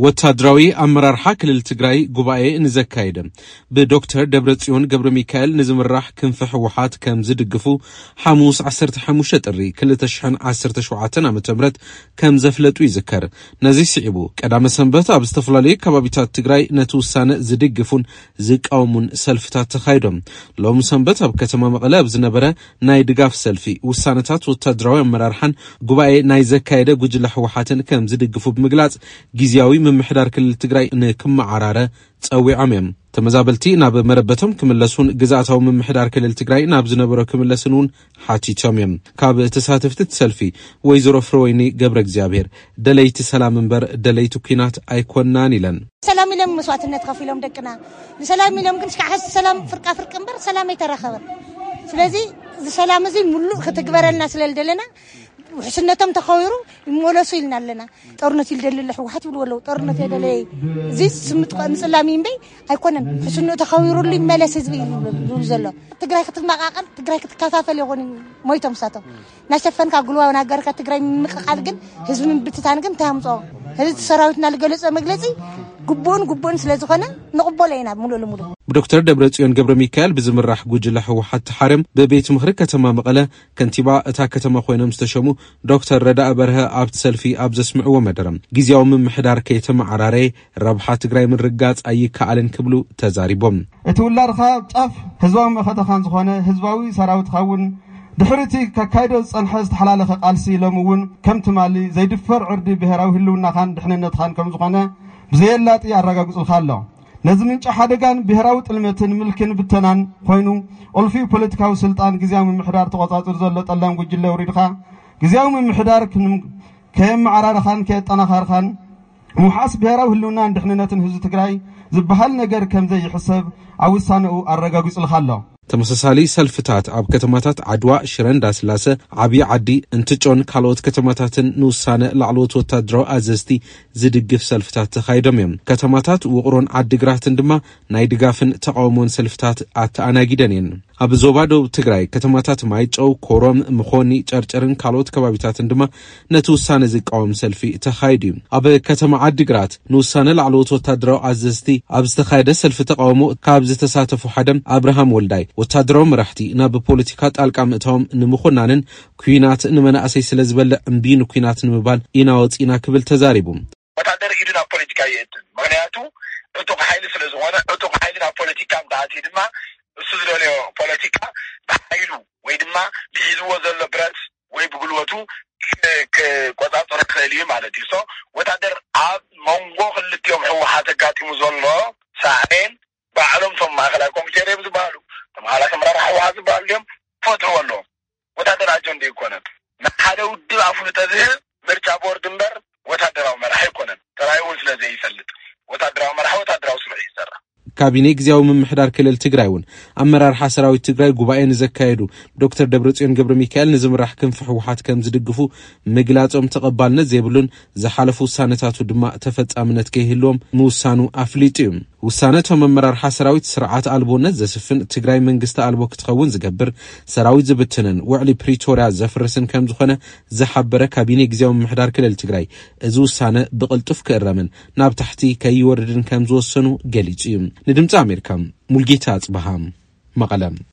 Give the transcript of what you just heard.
ወታደራዊ ኣመራርሓ ክልል ትግራይ ጉባኤ ንዘካየደ ብዶክተር ደብረጽዮን ገብረ ሚካኤል ንዝምራሕ ክንፊ ህወሓት ከም ዝድግፉ ሓሙስ ዓሰርተ ሓሙሽተ ጥሪ ክልተ ሽሕን ዓሰርተ ሸውዓተን ዓመተ ምህረት ከም ዘፍለጡ ይዝከር። ነዚ ስዒቡ ቀዳመ ሰንበት ኣብ ዝተፈላለዩ ከባቢታት ትግራይ ነቲ ውሳነ ዝድግፉን ዝቃወሙን ሰልፍታት ተኻይዶም። ሎም ሰንበት ኣብ ከተማ መቐለ ኣብ ዝነበረ ናይ ድጋፍ ሰልፊ ውሳነታት ወታደራዊ ኣመራርሓን ጉባኤ ናይ ዘካየደ ጉጅለ ህወሓትን ከም ዝድግፉ ብምግላጽ ግዝያዊ ምምሕዳር ክልል ትግራይ ንክመዓራረ ጸዊዖም እዮም። ተመዛበልቲ ናብ መረበቶም ክምለሱን ግዝኣታዊ ምምሕዳር ክልል ትግራይ ናብ ዝነበሮ ክምለስን እውን ሓቲቶም እዮም። ካብ ተሳተፍቲ እቲ ሰልፊ ወይዘሮ ፍረወይኒ ገብረ እግዚኣብሔር ደለይቲ ሰላም እምበር ደለይቲ ኲናት ኣይኮናን ኢለን። ሰላም ኢሎም መስዋዕትነት ከፊሎም ደቅና ንሰላም ኢሎም ግን እስካዕ ሕዚ ሰላም ፍርቃ ፍርቂ እምበር ሰላም ኣይተረኸበን። ስለዚ እዚ ሰላም እዚ ሙሉእ ክትግበረልና ስለ ዝደለና ውሕስነቶም ተኸቢሩ ይመለሱ ኢልና ኣለና። ጦርነት ይደሊ ኣሎ ህወሓት ይብሉ ኣለዉ። ጦርነት የደለ እዚ ስምጥ ምፅላም እምበይ ኣይኮነን። ሕስኑ ተኸቢሩሉ ይመለስ ህዝቢ እዩ ዝብል ዘሎ። ትግራይ ክትመቃቀል ትግራይ ክትከፋፈል ይኾን ሞይቶም ሳቶም ናሸፈንካ ጉልዋ ናገርካ ትግራይ ምምቅቃል ግን ህዝቢ ምብትታን ግን እንታይ ኣምፅኦ? ህዝቢ ሰራዊትና ዝገለፀ መግለፂ ግቡእን ግቡእን ስለ ዝኾነ ንቕበሎ ኢና ሙሉእ ልሙሉ። ብዶክተር ደብረጽዮን ገብረ ሚካኤል ብዝምራሕ ጉጅለ ህወሓት ተሓርዮም ብቤት ምኽሪ ከተማ መቐለ ከንቲባ እታ ከተማ ኮይኖም ዝተሸሙ ዶክተር ረዳኢ በርሀ ኣብቲ ሰልፊ ኣብ ዘስምዕዎ መደረ ግዝያዊ ምምሕዳር ከይተመዓራረየ ረብሓ ትግራይ ምርጋጽ ኣይከኣልን ክብሉ ተዛሪቦም። እቲ ውላድኻ ኣብ ጫፍ ህዝባዊ መኸተኻን ዝኾነ ህዝባዊ ሰራዊትኻ እውን ድሕሪ እቲ ከካይዶ ዝጸንሐ ዝተሓላለኸ ቃልሲ ሎም እውን ከም ትማሊ ዘይድፈር ዕርዲ ብሄራዊ ህልውናኻን ድሕንነትኻን ከም ዝኾነ ብዘየላጢ ኣረጋግጹልካ ኣሎ። ነዚ ምንጪ ሓደጋን ብሄራዊ ጥልመትን ምልክን ብተናን ኮይኑ ቁልፊ ፖለቲካዊ ስልጣን ግዝያዊ ምምሕዳር ተቆጻጽር ዘሎ ጠላም ጉጅለ ውሪድኻ ግዝያዊ ምምሕዳር ክንም- ከየመዓራርኻን ከየጠናኻርኻን ምውሓስ ብሄራዊ ህልውናን ድሕንነትን ህዝቢ ትግራይ ዝበሃል ነገር ከም ዘይሕሰብ ኣብ ውሳነኡ ኣረጋጊጹልካ ኣሎ። ተመሳሳሊ ሰልፍታት ኣብ ከተማታት ዓድዋ፣ ሽረ እንዳስላሰ፣ ዓብዪ ዓዲ፣ እንትጮን ካልኦት ከተማታትን ንውሳነ ላዕለዎት ወታደራዊ ኣዘዝቲ ዝድግፍ ሰልፍታት ተኻይዶም እዮም። ከተማታት ውቕሮን ዓዲግራትን ድማ ናይ ድጋፍን ተቓውሞን ሰልፍታት ኣተኣናጊደን እየን። ኣብ ዞባ ደቡብ ትግራይ ከተማታት ማይጨው፣ ኮሮም፣ ምኾኒ፣ ጨርጨርን ካልኦት ከባቢታትን ድማ ነቲ ውሳነ ዝቃወም ሰልፊ ተኻይዱ እዩ። ኣብ ከተማ ዓዲግራት ንውሳነ ላዕለዎት ወታደራዊ ኣዘዝቲ ኣብ ዝተኻየደ ሰልፊ ተቓውሞ ካብ ዝተሳተፉ ሓደ ኣብርሃም ወልዳይ፣ ወታደራዊ መራሕቲ ናብ ፖለቲካ ጣልቃ ምእታዎም ንምኹናንን ኲናት ንመናእሰይ ስለ ዝበልዕ እምቢ ንኲናት ንምባል ኢና ወፂና ክብል ተዛሪቡ። ወታደር ኢዱ ናብ ፖለቲካ ይእትን። ምኽንያቱ ዕጡቕ ሓይሊ ስለ ዝኾነ፣ ዕጡቕ ሓይሊ ናብ ፖለቲካ እንተኣትዩ ድማ እሱ ዝደልዮ ፖለቲካ ብሓይሉ ወይ ድማ ብሒዝዎ ዘሎ ብረት ወይ ብጉልበቱ ክ- ክቆጻጸሮ ክኽእል እዩ ማለት እዩ። ሶ ወታደር ኣብ መንጎ ክልቲኦም ህወሓት ኣጋጢሙ ዘሎ ሳዕቤን ባዕሎም እቶም ማእኸላይ ኮሚቴ ርየም ዝበሃሉ፣ እቶም ሓላፊ ኣመራርሓ ህወሓት ዝበሃሉ እዮም ክፈትሕዎ ኣለዎም። ወታደር ኣጀንዳ ኣይኮነን። ንሓደ ውድብ ኣፍልጦ ዝህብ ምርጫ ቦርድ እምበር ወታደራዊ መራሒ ኣይኮነን። ተራእዩ እውን ስለ ዘይፈልጥ ወታደራዊ መራሒ ወታደራዊ ስራሕ እዩ ዝሰርሕ። ካቢኔ ግዝያዊ ምምሕዳር ክልል ትግራይ እውን ኣመራርሓ ሰራዊት ትግራይ ጉባኤ ንዘካየዱ ዶክተር ደብረጽዮን ገብረ ሚካኤል ንዝምራሕ ክንፊ ህወሓት ከም ዝድግፉ ምግላጾም ተቐባልነት ዘይብሉን ዝሓለፉ ውሳነታቱ ድማ ተፈጻምነት ከይህልዎም ምውሳኑ ኣፍሊጡ እዩ። ውሳነ እቶም ኣመራርሓ ሰራዊት ስርዓት ኣልቦነት ዘስፍን ትግራይ መንግስቲ ኣልቦ ክትኸውን ዝገብር ሰራዊት ዝብትንን ውዕሊ ፕሪቶርያ ዘፍርስን ከም ዝኾነ ዝሓበረ ካቢኔ ግዝያዊ ምምሕዳር ክልል ትግራይ እዚ ውሳነ ብቕልጡፍ ክእረምን ናብ ታሕቲ ከይወርድን ከም ዝወሰኑ ገሊጹ እዩ። ንድምፂ ኣሜሪካ ሙልጌታ ኣጽበሃ መቐለ።